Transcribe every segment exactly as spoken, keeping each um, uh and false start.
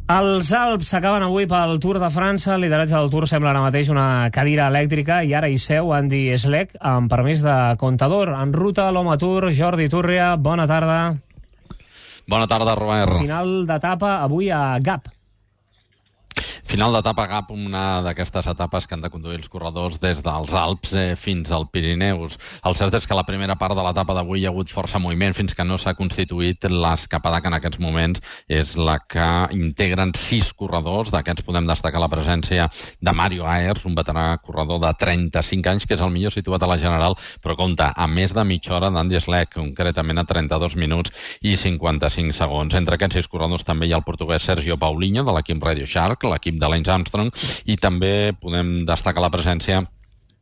Els Alps s'acaben avui pel Tour de França. El lideratge del Tour sembla ara mateix una cadira elèctrica i ara hi seu Andy Schleck amb permís de comptador. En ruta l'Home Tour, Jordi Túrria, bona tarda. Bona tarda, Robert. Final d'etapa avui a Gap. Final d'etapa Gap, una d'aquestes etapes que han de conduir els corredors des dels Alps eh, fins al Pirineus. El cert és que la primera part de l'etapa d'avui hi ha hagut força moviment fins que no s'ha constituït l'escapada que en aquests moments és la que integren sis corredors. D'aquests podem destacar la presència de Mario Aers, un veterà corredor de trenta-cinc anys, que és el millor situat a la general, però compta a més de mitja hora d'Andy Schleck, concretament a trenta-dos minuts i cinquanta-cinc segons. Entre aquests sis corredors també hi ha el portuguès Sergio Paulinho, de l'equip Radio Shark, l'equip de Lance Armstrong, i també podem destacar la presència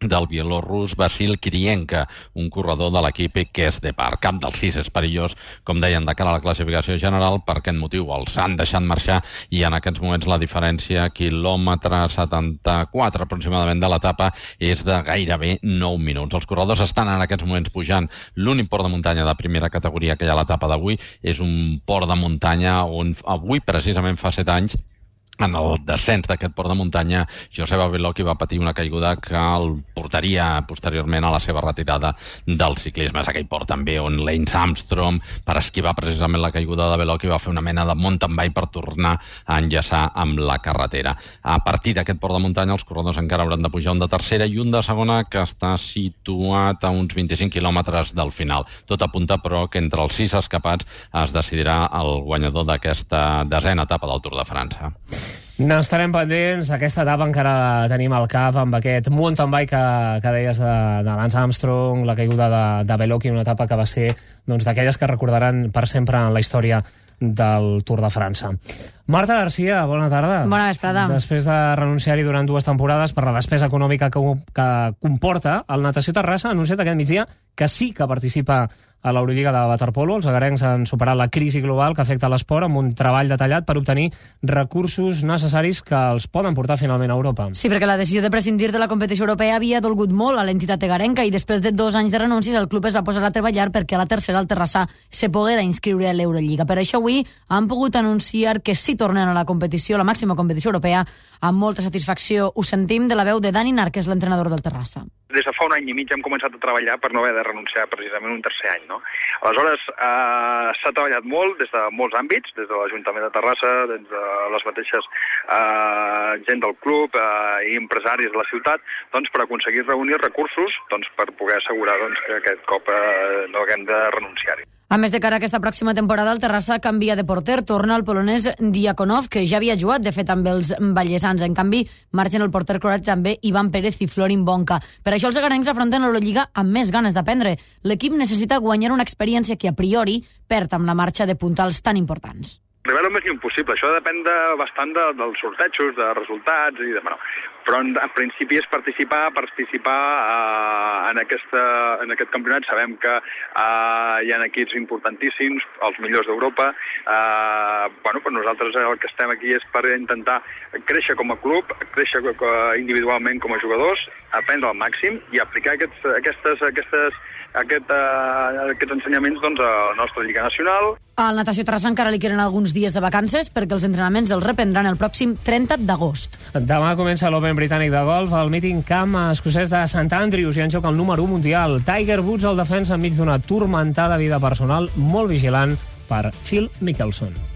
del bielorrus Vasil Kirienka, un corredor de l'equip Kes de Park. Cap dels sis és perillós, com deien, de cara a la classificació general. Per aquest motiu els han deixat marxar i en aquests moments la diferència, quilòmetre setanta-quatre aproximadament de l'etapa, és de gairebé nou minuts. Els corredors estan en aquests moments pujant l'únic port de muntanya de primera categoria que hi ha a l'etapa d'avui. És un port de muntanya on avui precisament fa set anys, en el descens d'aquest port de muntanya, Joseba Bellocchi va patir una caiguda que el portaria posteriorment a la seva retirada del ciclisme. És aquell port també on Lance Armstrong, per esquivar precisament la caiguda de Bellocchi, va fer una mena de mountain bike per tornar a enllaçar amb la carretera. A partir d'aquest port de muntanya, els corredors encara hauran de pujar un de tercera i un de segona, que està situat a uns vint-i-cinc quilòmetres del final. Tot apunta, però, que entre els sis escapats es decidirà el guanyador d'aquesta desena etapa del Tour de França. N'estarem pendents. Aquesta etapa encara la tenim al cap amb aquest mountain bike que, que deies de, de Lance Armstrong, la caiguda de, de Bellocchi, una etapa que va ser doncs, d'aquelles que recordaran per sempre en la història del Tour de França. Marta Garcia, bona tarda. Bona vesprada. Després de renunciar-hi durant dues temporades per la despesa econòmica que, que comporta, el Natació Terrassa ha anunciat aquest migdia que sí que participa a l'Eurolliga de waterpolo. Els agarencs han superat la crisi global que afecta l'esport amb un treball detallat per obtenir recursos necessaris que els poden portar finalment a Europa. Sí, perquè la decisió de prescindir de la competició europea havia dolgut molt a l'entitat agarenca i després de dos anys de renúncies el club es va posar a treballar perquè a la tercera el Terrassa se poguera inscriure a l'Eurolliga. Per això avui han pogut anunciar que sí tornen a la competició, la màxima competició europea, amb molta satisfacció. Ho sentim de la veu de Dani Nar, que és l'entrenador del Terrassa. Des de fa un any i mig hem començat a treballar per no haver de renunciar precisament un tercer any, no? Aleshores, eh, s'ha treballat molt des de molts àmbits, des de l'Ajuntament de Terrassa, des de les mateixes eh, gent del club eh, i empresaris de la ciutat, doncs per aconseguir reunir recursos doncs, per poder assegurar doncs, que aquest cop eh, no haguem de renunciar-hi. A més, de cara a aquesta pròxima temporada, el Terrassa canvia de porter, torna el polonès Diakonov, que ja havia jugat, de fet, amb els vallesans. En canvi, marxen el porter croat també Ivan Pérez i Florin Bonca. Per això els agarencs afronten l'Eurolliga amb més ganes d'aprendre. L'equip necessita guanyar una experiència que a priori perd amb la marxa de puntals tan importants. Arribar el més lluny possible. Això depèn de, bastant de, dels sortejos, de resultats, i de, bueno, però en, en principi és participar, participar eh, en, aquesta, en aquest campionat. Sabem que eh, hi ha equips importantíssims, els millors d'Europa. Eh, bueno, però nosaltres el que estem aquí és per intentar créixer com a club, créixer individualment com a jugadors, aprendre al màxim i aplicar aquests, aquestes, aquestes, aquest, uh, aquests ensenyaments doncs, a la nostra Lliga Nacional. Al Natació Terrassa encara li queden alguns dies de vacances perquè els entrenaments els reprendran el pròxim trenta d'agost. Demà comença l'Open britànic de golf al Meeting Camp escocès de Sant Andrews i en joc el número u mundial. Tiger Woods, el defensa enmig d'una turmentada vida personal, molt vigilant per Phil Mickelson.